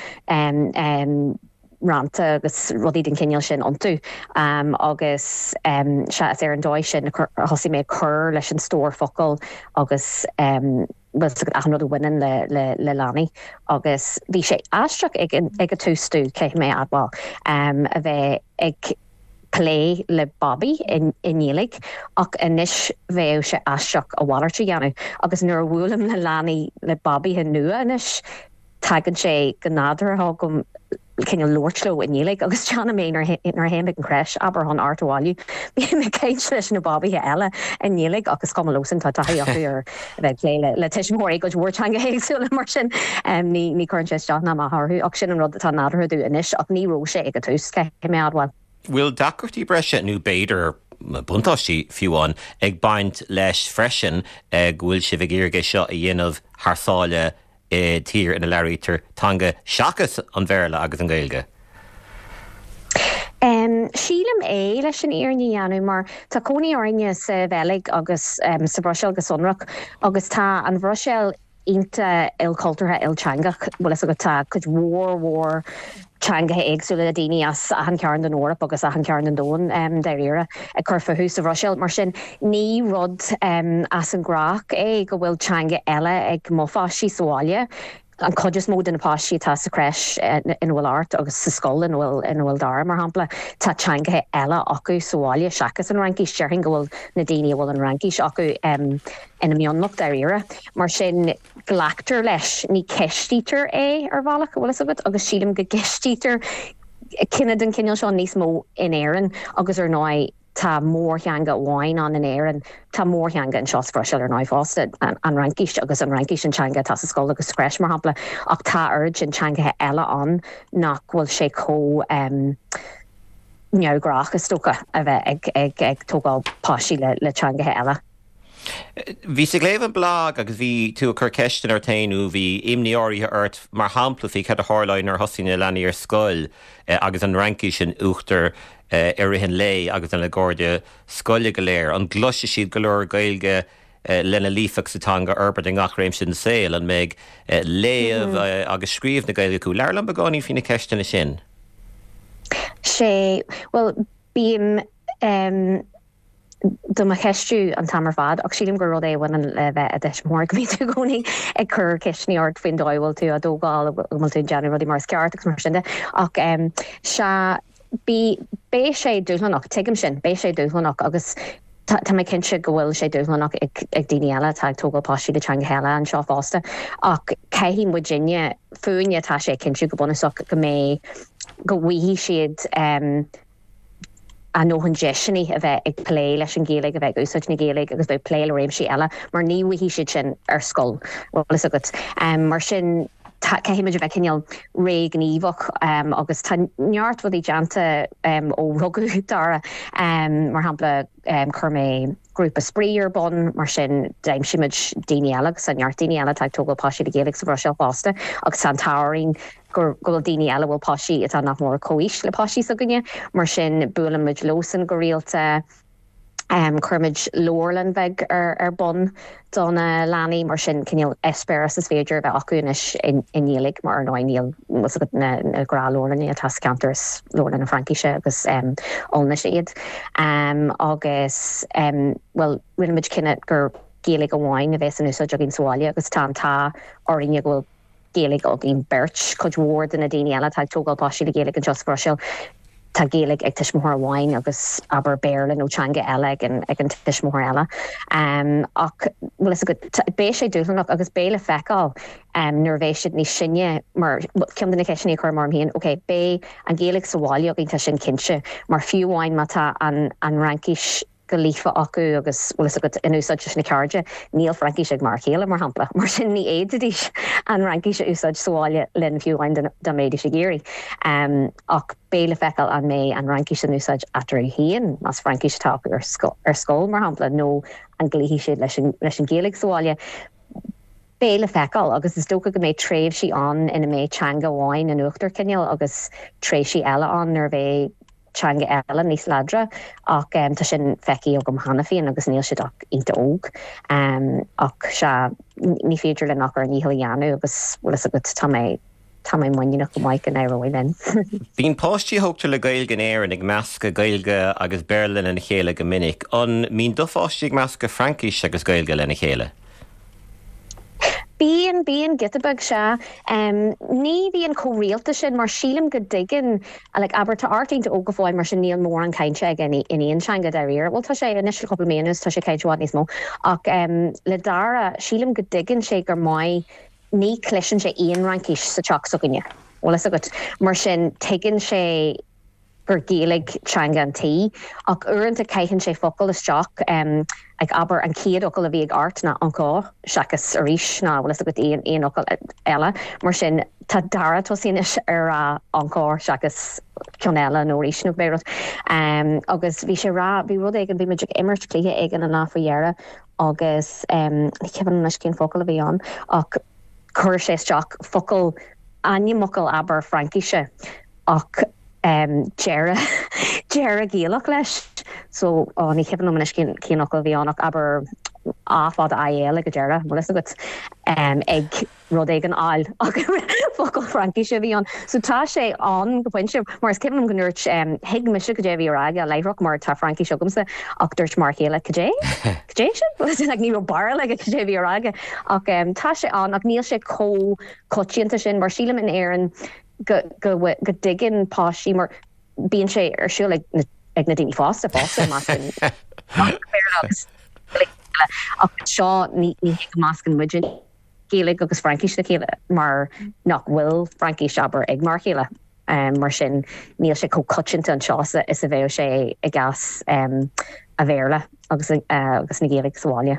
rannta agus rudaí den chineál sin iontu. Agus sea, is ar an dóigh sin a thosaigh mé ag cur leis an stór focal agus, bhfuil fhios agat, achan rud a bhaineann le le leanaí agus bhí sé aisteach ag an ag an tús domh, caithfidh mé a admháil, a bheith ag plé le babaí i i nGaeilge ach anois bheadh sé aisteach a mhalairt a dhéanamh agus nuair a bhuailim le leanaí le babaithe nua anois, tagann sé go nádúrtha chugam cineál labhairt leo i nGaeilge agus déanaim é nuair a théim ag an crèche, abair, chun Art a bhailiú. Bím ag caint leis na babaithe eile i nGaeilge ach is cuma leosan, tá taithí acu ar a bheith ag plé le tuismitheoirí i gcuid mhór teangacha éagsúla mar sin ní chuireann sé isteach ná amach orthu ach sin an rud atá nádúrtha domh anois ach ní raibh sé ag an tús, caithfidh mé a admháil. Bhfuil deacrachtaí breise, nó b'fhéidir buntáistí fiú amháin, ag baint leis freisin go bhfuil sibh ag iarraidh é seo a dhéanamh thar sáile i dtír ina labhraítear teanga seachas an Bhéarla agus an Ghaeilge? Sílim é, leis an fhírinne a dhéanamh, mar tá cónaí orainne sa Bheilg agus sa Bhruiséil go sonrach agus tá an Bhruiséil iontach ilchultúrtha, ilteangach, bhfuil fhios agat, tá cuid mhór mhór teangacha éagsúla le daoine as achan chearn den Eoraip agus achan chearn den domhan, dáiríre, ag cur fúthu sa Bhruiséil. Mar sin, ní rud as an ngnách é go bhfuil teanga eile ag mo pháistí sa bhaile. An chuid is mó de na páistí atá sa crèche ina bhfuil Art agus sa scoil ina bhfuil ina bhfuil Dara, mar shampla, tá teangacha eile acu sa bhaile seachas an Fhraincis. Déarfainn go bhfuil na daoine a bhfuil an Fhraincis acu ina mionlach, dáiríre. Mar sin. glactar leis, ní ceistítear é ar bhealach, an bhfuil fhios agat, agus sílim go gceistítear cinneadh den chineál seo níos mó in Éirinn agus ar ndóigh tá mórtheanga amháin ann in Éirinn, tá mórtheanga anseo sa Bhruiséil ar ndóigh fosta, an Fhraincis agus an Fhraincis an teanga atá sa scoil agus sa crèche mar shampla, ach tá oiread sin teangacha eile ann nach bhfuil sé chomh neamhghnách is dócha a bheith ag tógáil páistí le teangacha eile. Bhíos ag léamh an blag agus bhí tú ag cur ceisteanna ort féin nó bhí imní áirithe ort, mar shampla, faoi cad a tharlóidh nuair a thosaíonn na leanaí ar scoil agus an Fhraincis in uachtar i rith an lae agus lena gcairde scoile go léir. An gcloisfidh siad go leor Gaeilge lena líofacht sa teanga a fhorbairt i ngach réimse den saol? An mbeidh léamh agus scríobh na Gaeilge acu? Labhair liom beagáinín faoi na ceisteanna sin. Sea, bhuel, bím. do mo cheistiú an t-am ar fad ach sílim gur rud é a bhaineann le bheith i do thuismitheoir, go mbíonn tú i gcónaí ag cur ceisteanna ort faoin dóigh a bhfuil tú á dtógáil, go bhfuil tú ag déanamh rudaí mar is ceart agus mar sin de. Ach sea, bí, beidh sé dúshlánach, tuigim sin, beidh sé dúshlánach agus. Tá mé cinnte go bhfuil sé dúshlánach ag daoine eile atá ag tógáil páistí le teangacha eile anseo fosta, ach caithfidh muidinne, fúinne atá sé a chinntiú go bunúsach go mbeidh, go bhfaighidh siad a ndóthain deiseanna a bheith ag plé leis an Ghaeilge, a bheith ag úsáid na Gaeilge agus bheith ag plé le réimsí eile mar ní bhfaighidh siad sin ar scoil, bhfuil fhios agat. Mar sin caithfidh muid a bheith cineál réghníomhach agus tá neart rudaí déanta ó rugadh Dara. Mar shampla, chuir mé grúpa spraoi ar bun, mar sin d'aimsigh muid daoine eile agus tá neart daoine eile atá ag tógáil páistí le Gaeilge sa Bhruiséil fosta agus tá an t-ádh orainn go bhfuil daoine eile a bhfuil páistí atá nach mór comhaois le páistí s'againne, mar sin buaileann muid leosan go rialta. Chuir muid leabharlann bheag ar bun do na leanaí, mar sin cineál eispéireas is féidir a bheith acu anois i nGaeilge, mar ar ndóigh níl fhios agat na gnáthleabharlanna atá sa cheantar, is leabharlanna Fraincise agus Ollainnis iad. Agus bhuel, rinne muid cinneadh gur Gaeilge amháin a bheas in úsáid againn sa bhaile agus tá an t-ádh orainne go bhfuil Gaeilge againn beirt. Cuid mhór de na daoine eile atá ag tógáil páistí le Gaeilge anseo sa Bhruiséil, tá Gaeilge ag tuismitheoir amháin agus abair Béarla nó teanga eile ag an ag an tuismitheoir eile. Ach bhfuil fhios agat, beidh sé dúshlánach agus beidh le feiceáil nuair a bheidh siad níos sine mar ceann de na ceisteanna a chuirim orm féin, ok, beidh an Ghaeilge sa bhaile againn, tá sin cinnte, mar fiú amháin má tá an an Fhraincis go líofa acu agus, bhfuil fhios agat, in úsáid leis na cairde. Níl Fraincis ag m'fhear céile, mar shampla, mar sin ní fhéadfaidís an Fhraincis a úsáid sa bhaile linn fiú amháin dá mbeidís ag iarraidh. Ach beidh le feiceáil an mbeidh an Fhraincis in úsáid eatarthu féin, más Fraincis atá acu ar scoil, mar shampla, nó an gcloífidh siad leis an Ghaeilge sa bhaile. Beidh le feiceáil, agus is dócha go mbeidh tréimhsí ann ina mbeidh teanga amháin in uachtar cineál agus tréimhsí eile ann nuair a bheidh teanga eile níos láidre ach tá sin feicthe agam cheana féin agus níl siad ach iontach óg. Ach sea, ní féidir linn ach ár ndícheall a dhéanamh agus bhfuil fhios agat, tá mé, tá mé muiníneach go maith go n-éireoidh linn. Bíonn páistí a thógtar le Gaeilge in Éirinn ag meascadh Gaeilge agus Béarla lena chéile go minic. An mbíonn do pháistí ag meascadh Fraincis agus Gaeilge lena chéile? Bíonn, bíonn, giota beag, sea. Ní bhíonn chomh rialta sin mar sílim go dtuigeann, like, abair, tá Art iontach óg go fóill mar sin níl mórán cainte aige in aon teanga dáiríre. Bhuel, tá sé, anois le cúpla mí anuas tá sé ag caint i bhfad níos mó. Ach le Dara, sílim go dtuigeann sé gur maith, ní chloiseann sé aon Fhraincis sa teach s'againne, bhfuil fhios agat. Mar sin tuigeann sé gur Gaeilge teanga an tí, ach uaireanta caitheann sé focal isteach, like abair an chéad fhocal a bhí ag Art ná encore seachas arís ná bhfuil fhios agat aon aon fhocal eile. Mar sin tá Dara tosaithe anois ar rá encore seachas ceann eile nó arís nó cibé rud. Agus bhí sé rá, bhí rud éigin, bhí muid ag imirt cluiche éigin an lá faoi dheireadh agus ní cuimhin liom anois cén focal a bhí ann ach chuir sé isteach focal, ainmfhocal abair Fraincise ach deireadh deireadh Gaelach leis so ó ní cuimhin liom anois cén cén fhocal a bhí ann ach abair A fada I L ag an deireadh, bhfuil fhios agat, ag rud éigin áil ach focal Fraincise a bhí ann. So tá sé ann go pointe mar is cuimhin liom go ndúirt thuig mise cad é a bhí á rá aige láithreach mar tá Fraincis agamsa ach dúirt m'fhear céile cad é? Cad é sin? Like ní raibh barúil aige cad é a bhí á rá aige ach tá sé ann ach níl sé chomh coitianta sin mar sílim in Éirinn go go go dtuigeann páistí mar bíonn sé ar siúl ag na ag na daoine fásta fosta meascann Béarla agus ach anseo ní ní hé go meascann muide Gaeilge agus Fraincis le chéile mar nach bhfuil Fraincis abair ag m'fhear céile mar sin níl sé chomh coitianta anseo is a bheadh sé i gcás an Bhéarla agus agus na Gaeilge sa bhaile.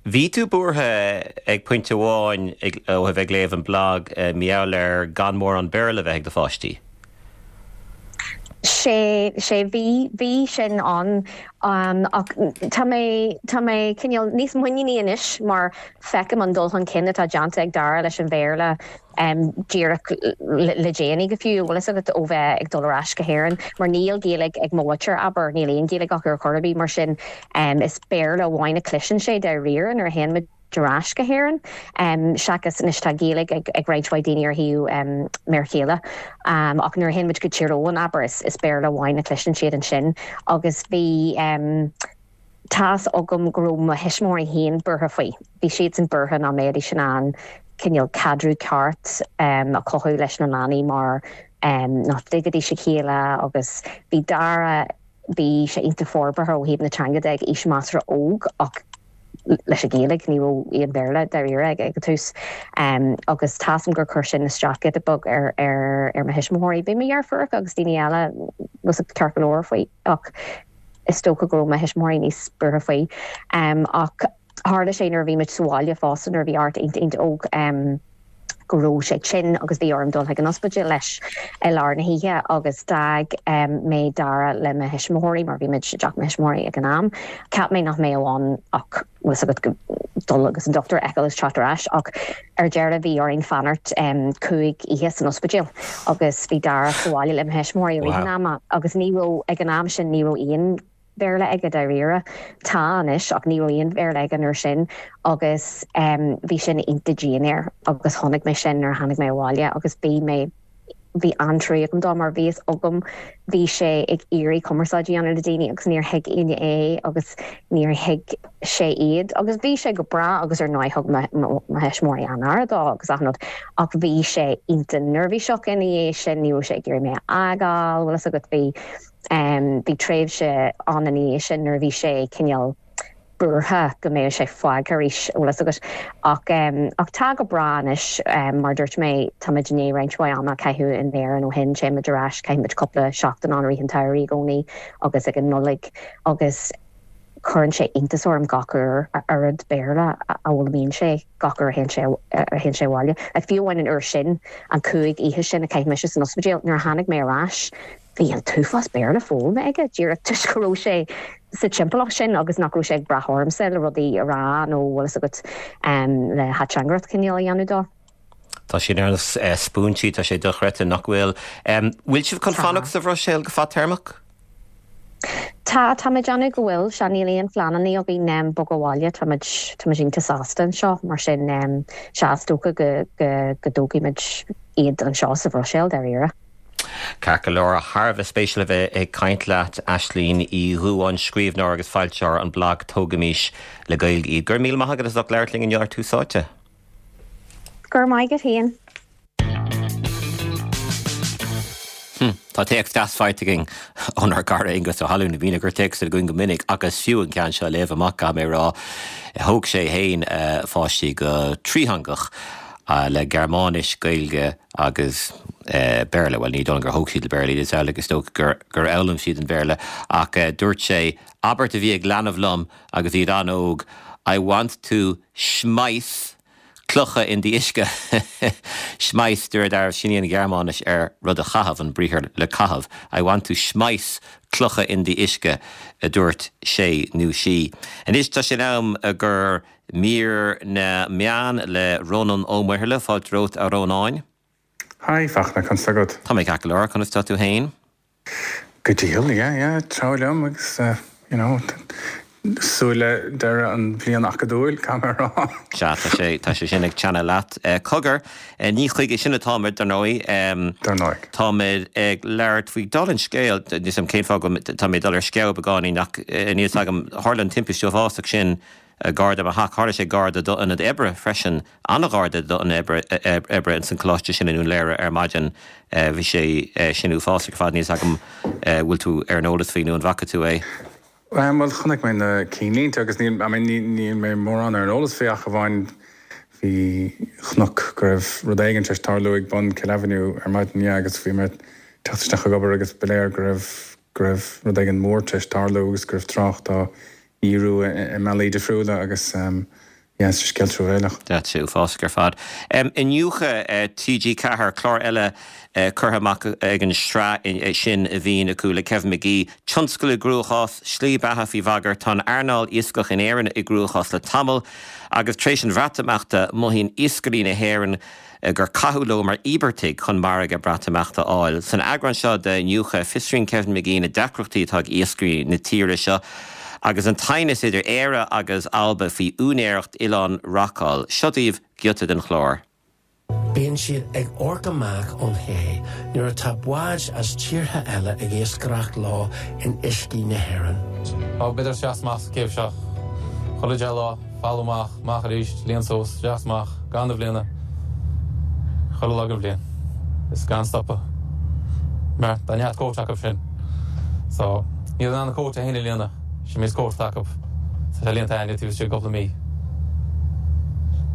Bhí tú buartha ag pointe amháin ó thaobh ag léamh an blag mar gheall ar gan mórán Béarla a bheith ag do pháistí. Sé, sé, bhí, bhí sin ann ach tá mé, tá mé cineál níos muiníní anois mar feicim an dul chun cinn atá déanta ag Dara leis an Bhéarla díreach le déanaí go fiú, bhfuil fhios agat, ó bheith ag dul ar ais go hÉirinn mar níl Gaeilge ag mo mhuintir, abair, níl aon Ghaeilge acu ar chor ar bith mar sin is Béarla amháin a chloiseann sé dáiríre nuair a théann muid ar ais go hÉirinn seachas anois tá Gaeilge ag roinnt mhaith daoine ar thaobh m'fhear chéile ach nuair a théann muid go Tír Eoghain, abair, is Béarla amháin a chloiseann siad ansin agus bhí tá's agam go raibh mo thuismitheoirí féin buartha faoi. Bhí siadsan buartha nach mbeidís in ann cineál caidreamh ceart a chothú leis na leanaí mar nach dtuigfidís a chéile agus bhí Dara. bhí sé iontach forbartha ó thaobh na teanga de ag aois measartha óg ach leis an Ghaeilge, ní raibh aon Bhéarla dáiríre aige ag an tús. Agus tá's agam gur chuir sin isteach giota beag ar ar mo thuismitheoirí. Bhí mo dheirfiúracha agus daoine eile ceart go leor faoi ach is dócha go raibh mo thuismitheoirí níos buartha faoi. Ach tharla sé nuair a bhí muid sa bhaile fosta nuair a bhí Art iontach iontach óg. go raibh sé tinn agus bhí orm dul chuig an ospidéal leis i lár na hoíche agus d'fhág mé Dara le mo thuismitheoirí mar bhí muid i dteach mo thuismitheoirí ag an am. Cheap mé nach mbeadh ann ach bhfuil 's agat dul agus an dochtúir a fheiceáil agus teacht ar ais ach ar deireadh bhí orainn fanacht 5 oíche san ospidéal agus bhí Dara sa bhaile le mo thuismitheoirí i rith an ama agus ní raibh ag an am sin ní raibh aon Bhéarla aige dáiríre. Tá anois ach ní raibh aon Bhéarla aige an uair sin agus bhí sin iontach dian air agus chonaic mé sin nuair a tháinig mé abhaile agus bhí mé, bhí an-trua agam dó mar bhí fhios agam bhí sé ag iarraidh cumarsáid a dhéanamh le daoine agus níor thuig éinne é agus níor thuig sé iad agus bhí sé go breá agus ar ndóigh thug mo thuismitheoirí an-aire dó agus achan rud ach bhí sé iontach neirbhíseach ina dhiaidh sin, ní raibh sé ag iarraidh mé a fhágáil, bhfuil fhios agat, bhí. Bhí tréimhse ann ina dhiaidh sin nuair a bhí sé cineál buartha go mbeadh sé fágtha arís, bhfuil fhios agat. Ach ach tá go breá anois, mar a dúirt mé, táimid i ndiaidh roinnt mhaith ama a chaitheamh in Éirinn ó shin, téimid ar ais, caithimid cúpla seachtain ann i rith an tsamhraidh i gcónaí agus ag an Nollaig agus cuireann sé iontas orm gach uair a oiread Béarla a fhoghlaimíonn sé gach uair a théann sé a théann sé abhaile. Like fiú amháin an uair sin, an chúig oíche sin a chaith mise san ospidéal, nuair a tháinig mé ar ais, Bhí an t-uafás Béarla foghlamtha aige, díreach toisc go raibh sé sa timpeallacht sin agus nach raibh sé ag brath ormsa le rudaí a rá nó bhfuil fhios agat le hateangaireacht cineál a dhéanamh dó. Tá siad ar nós spúinsí, tá sé dochreidte, nach bhfuil? Bhfuil sibh chun fanacht sa Bhruiséil go fadtéarmach? Tá, tá mé ag déanamh go bhfuil, sea, níl aon phleananna againn bogadh abhaile, tá muid, tá muid iontach sásta anseo, mar sin, sea, is dócha go, go, go dtógfaidh muid iad anseo sa Bhruiséil, dáiríre. Ceart go leor, thar a bheith spéisiúil a bheith ag caint leat, Aislínn Uí Dhubháin, scríbhneoir agus foilsitheoir an blag Tógaimis le Gaeilge Iad. Go raibh míle maith agat as ucht labhairt linn inniu ar Tús Áite. Go raibh maith agat féin. Hm, tá téacs deas faighte againn ónár gcara Aengus Ó hAlmhain, a bhíonn ag cur téacs againn go minic ach is fiú an ceann seo a léamh amach, caithfidh mé a rá. Thóg sé féin a pháistí go trítheangach le Gearmáinis, Gaeilge agus Béarla, bhuel ní dóigh liom gur thóg siad le Béarla iad, is amhlaidh is dócha gur gur fhoghlaim siad an Béarla ach dúirt sé, abairt a bhí ag leanbh liom agus iad an-óg, I want to schmeiß clocha in die uisce, schmeiß, de réir dealraimh, sin í an Ghearmáinis ar rud a chaitheamh, an briathar le caitheamh, I want to schmeiß clocha in die uisce, a dúirt sé nó sí. Anois tá sé in am gur Mír na Meán le Rónán Ó Muirthile, fáilte romhat a Rónáin. Hi, Fachtna, conas tá agat? Tá mé ceart go leor, conas tá tú fhéin? Go diail, yeah, yeah, treabhadh liom agus you know, súil le deireadh an bhliain acadúil, caithfidh mé a rá. Sea, tá sé, tá sé sin ag teannadh leat. Cogar, ní chuige sin atáimid, dar ndóigh. Dar ndóigh. Táimid ag labhairt faoi, dála an scéil, níl 'fhios a'm cén fáth go, tá mé ag dul ar sceabha beagáinín ach níl 'fhios agam, tharla an timpiste uafásach sin gar do mo theach. Tharla sé gar do d'ionad oibre freisin, an-ghar do d'ionad oibre ins an choláiste sin i nDún Laoghaire ar maidin. Bhí sé sin uafásach ar fad. Níl 'fhios agam bhfuil tú ar an eolas faoi nó an bhfaca tú é. Bhuel, chonaic mé na cinnlínte agus níl, I mean, níl mé mórán ar an eolas faoi ach amháin bhí, chonac go raibh rud éigin tar éis tarlú ag bun Kill Avenue ar maidin, yeah, agus bhí mé ag teacht isteach ag obair agus ba léir go raibh, go raibh rud éigin mór tar éis tarlú agus go raibh trácht á dhíriú i mbealaí difriúla agus yeah, is scéal truamhéileach. Tá sé uafásach ar fad. Iniúchadh TG4, clár eile curtha amach ag an sraith sin a bhíonn acu le Kevin McGee. Tionscal i gcruachás, slí beatha faoi bhagairt, tá an earnáil iascach in Éirinn i gcruachás le tamall agus tar éis an Bhreatimeachta mothaíonn iascairí na hÉireann gur caitheadh leo mar íobartaigh chun margadh Breatimeachta a fháil. San eagrán seo d'Iniúchadh, fiosraíonn Kevin McGee na deacrachtaí atá ag iascairí na tíre seo agus an t-aighneas idir Éire agus Alba faoi úinéireacht Oileán Rockall. Seo daoibh giota den chlár. Bíonn siad ag amharc amach ón ché nuair atá báid as tíortha eile ag iascaireacht leo in uiscí na hÉireann. Ó, b'fhéidir isteach is amach sa chéibh seo chuile 10 lá, folamh amach, amach arís, líon suas, isteach is amach, gan na bhliana, chuile lá den bhliain, is gan stopadh. Mar tá neart cóit acu sin. So. Níl in ann a cuóta féin a líonadh. Sin an méid cuóta atá acu. Tá sé líonta a'inne taobh istigh de cúpla mí.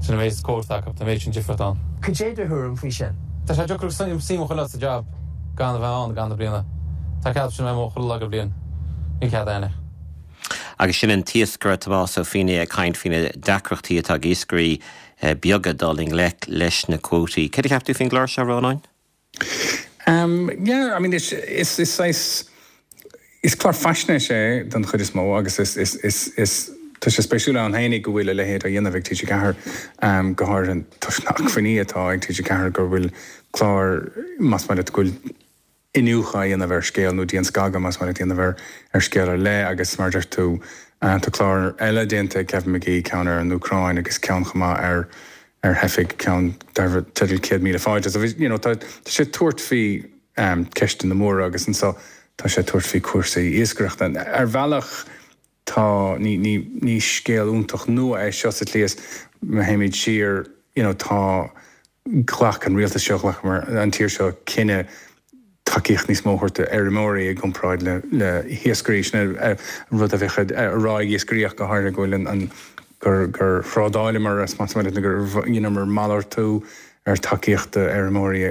Sin an méid cuóta atá acu. Tá an méid sin difríocht ann. Cad é do thuairim faoi sin? Tá sé deacair suim a choinneáil sa jab gan a bheith ann i gcaitheamh na bliana. Tá cead sin a bheith amuigh chuile lá den bhliain. Níl cead a'inne. Agus sin an t-iascaire Tomás Ó Feinneadha ag caint faoi na deacrachtaí atá ag iascairí beaga dul i ngleic leis na cuótaí. Céard a cheap tú faoin gclár seo, a Rónáin? Um yeah, I mean is is is saghas is clár faisnéise é den chuid is mó agus is is is is tá sé spéisiúil ann féinig go bhfuil a leithéid á dhéanamh ag TG4 um go háirithe toisc na hacmhainní atá ag TG4 go bhfuil clár más maith leat go bhfuil iniúchadh á dhéanamh ar scéal nó dianscagadh más maith leat a dhéanamh ar ar scéal ar leith agus mar a deir tú tá clár eile déanta ag Kevin McGee ceann ar an Úcráin agus ceann chomh maith ar ar theifigh, ceann darb teideal 100,000 Fáilte. So you know tá tá sé ag tabhairt faoi ceisteanna móra agus anseo tá sé ag tabhairt faoi cúrsaí iascaireachta. Ar bhealach tá ní ní ní scéal iontach nua é seo sa tslí is má théimid siar you know tá ghlac an rialtas seo ghlac an tír seo cinneadh tacaíocht níos mó a thabhairt d'fheirmeoirí i gcomparáid le hiascairí. Sin an rud a bheadh á rá ag iascairí ach go háirithe go bhfuil an gur gur thrádáileamar as más maith leat nó gur dheineamar malartú ar tacaíocht d'fheirmeoirí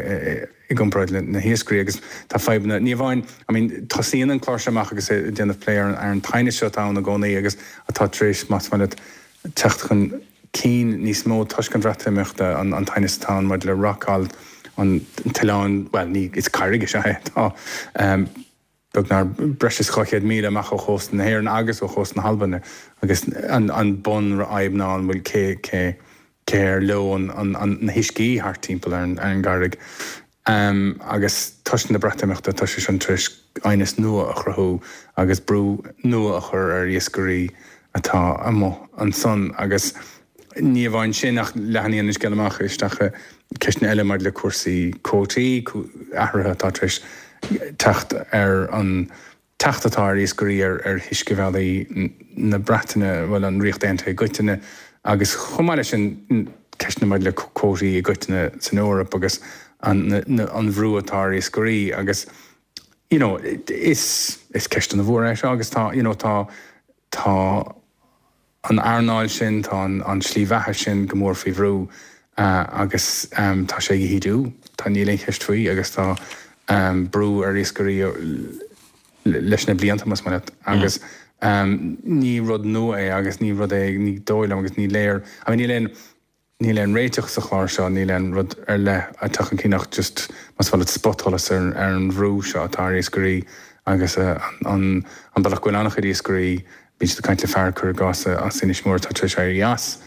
i gcomparáid le na hiascairí agus tá fadhbanna ní amháin I mean tosaíonn an clár seo amach agus é ag déanamh plé ar an aighneas seo atá ann i gcónaí agus atá tar éis más maith leat teacht chun cinn níos mó toisc an Bhreatimeachta, an t-aighneas atá ann maidir le Rockall, an t-oileán, bhuel, ní, is carraig is ea é, atá beagnach breis is 200 míle amach ó chósta na hÉireann agus ó chósta na hAlban agus an bunfhadhb ná an bhfuil cé, cé, cé ar leo an, an, na huiscí thart timpeall ar an, ar an gcarraig. Agus toisc na Breatimeachta, tá sé sin tar éis aighneas nua a chruthú agus brú nua a chur ar iascairí atá amuigh ansan. Agus ní amháin sin ach leathnaíonn an scéal amach isteach i ceisteanna eile maidir le cúrsaí cuótaí, athruithe atá tar éis teacht ar an teacht atá ar iascairí ar uiscebhealaí na Breataine, bhuel, an Ríocht Aontaithe i gcoitinne, agus chomh maith leis sin, ceisteanna maidir le cuótaí i gcoitinne san Eoraip agus an bhrú atá ar iascairí agus you know is is ceist an-mhór é seo agus tá you know tá tá an earnáil sin, tá an tslí bheatha sin go mór faoi bhrú agus tá sé ag ídiú, tá, níl aon cheist faoi agus tá brú ar iascairí leis na blianta, más maith leat, agus ní rud nua é agus ní rud é, ní dóigh liom agus ní léir, I mean níl aon. Níl aon réiteach sa chlár seo, níl aon rud ar leith ag teacht chun cinn ach just, más maith leat, spotsholas ar an bhrú seo atá ar iascairí agus an bealach go bhfuil an-chuid iascairí, bíonn siad ag caint le fear, cuir i gcás, as Inis Mór atá tar éis éirí as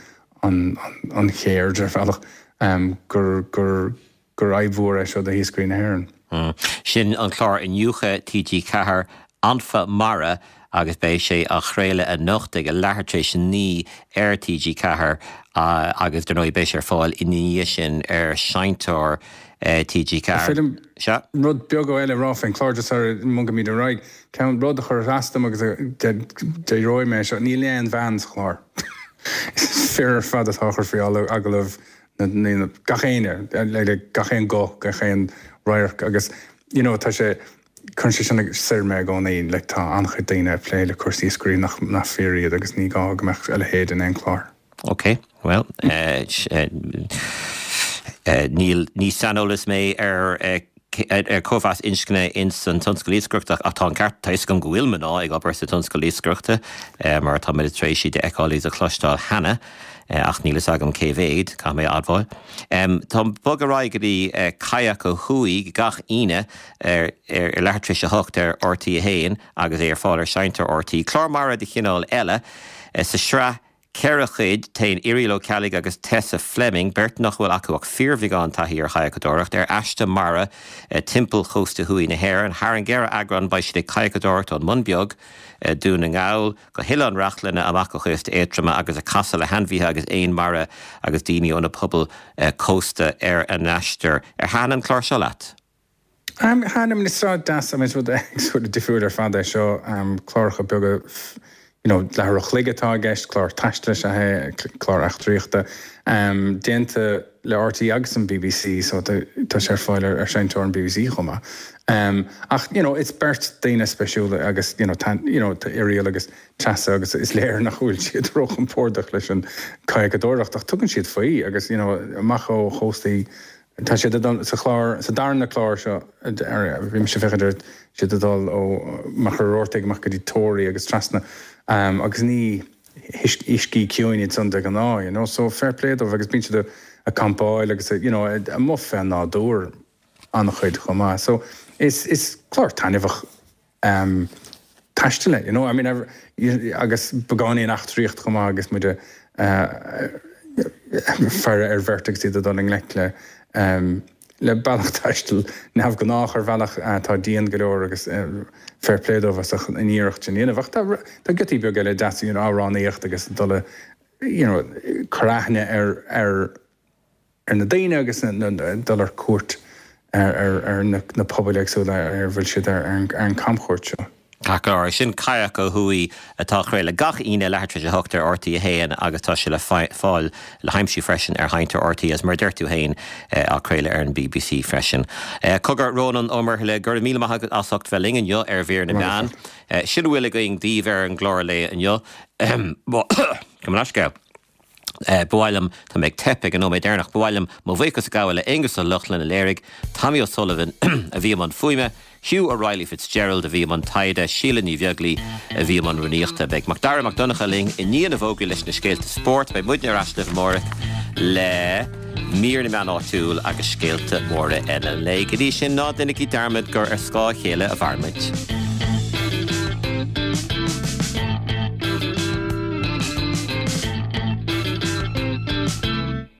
an cheird ar bhealach, gur, gur. gur fhadhb mhór é seo do hiascairí na hÉireann. Sin an clár Iniúchadh TG4, Anfa Mara, agus beidh sé á chraoladh anocht ag a leathuair tar éis 9 ar TG4 agus dar ndóigh beidh sé ar fáil ina dhiaidh sin ar seinnteoir TG4. Is féidir liom rud beag eile a rá faoin chlár just sara mbogaimid ar aghaidh. Ceann rud a chuir as dom agus déarfaidh mé é seo, níl aon bhean sa chlár. Is fir ar fad atá á chur faoi agallamh na, gach éinne, like gach aon guth, gach aon radharc agus you know tá sé, cuireann sé sin soir mé i gcónaí, like tá an-chuid daoine ag plé le cúrsaí iascairí nach, nach fir iad agus ní gá go mbeadh a leithéid in aon chlár. Ok, bhuel, níl, ní saineolas mé ar ar cóimheas inscne ins an tionscal iascaireachta ach tá an ceart, tá fhios agam go bhfuil mná ag obair sa tionscal iascaireachta mar tá muid tar éis iad a fheiceáil is a chloisteáil cheana ach níl fhios agam cé mhéad, caithfidh mé a admháil. Tá bog ar aghaidh go dtí Kayak ó Thuaidh gach Aoine ar ar leathuair tar éis a hocht ar RTÉ 1 agus é ar fáil ar seinnteoir RTÉ. Clár mara de chineál eile sa sraith 4 chuid, Téann Irial Ó Ceallaigh agus Tessa Fleming, beirt nach bhfuil acu ach fíorbheagán taithí ar chadhacadóireacht, ar aistear mara timpeall chósta thuaidh na hÉireann. Thar an gceithre eagrán beidh siad ag cadhacadóireacht ón mBun Beag, Dún na nGall, go hOileán Reachlainn, amach go chósta Aontroma agus ag casadh le hainmhithe agus éin mara agus daoine ó na pobail cósta ar a n-aistear. Ar thaitin an clár seo leat? Thaitin, I mean is rud deas, I mean is rud éagsúil difriúil ar fad é seo, cláracha beaga you know leathuair a chloig atá i gceist, clár taistil is ea é, clár eachtraíochta, déanta. le RTÉ agus an bbc so tá sé ar fáil ar seinnteoir an bbc chomh maith. Ach you know it's beirt daoine spéisiúla agus you know you know tá Irial agus Treasa agus is léir nach bhfuil siad róchompordach leis an kayakadóireacht ach tugann siad faoi agus you know amach ó chóstaí Tá siad ag dul sa chlár, sa darna clár seo, bhí mise ag féachaint air, siad ag dul ó Machaire Rabhartaigh amach go dtí Toraigh agus trasna agus ní huiscí ciúin iad san de ghnáth, you know, so fair play dóibh agus bíonn siad ag campáil agus you know amuigh fén nádúr an-chuid chomh maith. So is is clár taitneamhach taistil é, you know, I mean agus beagáinín eachtraíocht chomh maith agus muid ag faire ar bheirt agus iad ag dul i ngleic le le bealach taistil neamhghnách ar bhealach atá dian go leor agus fair play dóibh as an iarracht sin a dhéanamh. Ach tá tá giotaí beaga eile deasa, you know, amhránaíocht agus dul you know, cur aithne ar ar ar na daoine agus dul ar cuairt ar na pobail éagsúla ar a bhfuil siad ar an camchuairt seo. Ceart go leor, sin Kayak Ó Thuaidh atá á chraoladh gach Aoine leathuair tar éis a hocht ar RTÉ 1 agus tá sé le fáil, le haimsiú freisin ar sheinnteoir RTÉ agus mar a deir tú féin á craoladh ar an bbc freisin. Cogar, Rónán Ó Muirthile, go raibh míle maith agat as ucht bheith linn inniu ar Mhír na Meán. Sin a bhfuil againn daoibh ar an gclár lae inniu. Gabh mo leithscéal. Ba mhaith liom, tá mé ag teip ag an nóiméad deireanach, ba mhaith liom mo bhuíochas a ghabháil le Aonghus Ó Lochlainn a léirigh, Tommy O'Sullivan a bhí i mbun fuaime, Hugh O'Reilly Fitzgerald a bhí i mbun taighde, Síle Ní Bheaglaoi a bhí i mbun rúnaíochta. Beidh Macdara Mac Donncha linn i ndiaidh na bhfógraí leis na scéalta spóirt. Beidh muidne ar ais libh amárach le mír na meán áitiúil agus scéalta móra eile an lae. Go dtí sin, ná déanaigí dearmad gur ar scáth a chéile a mhairimid.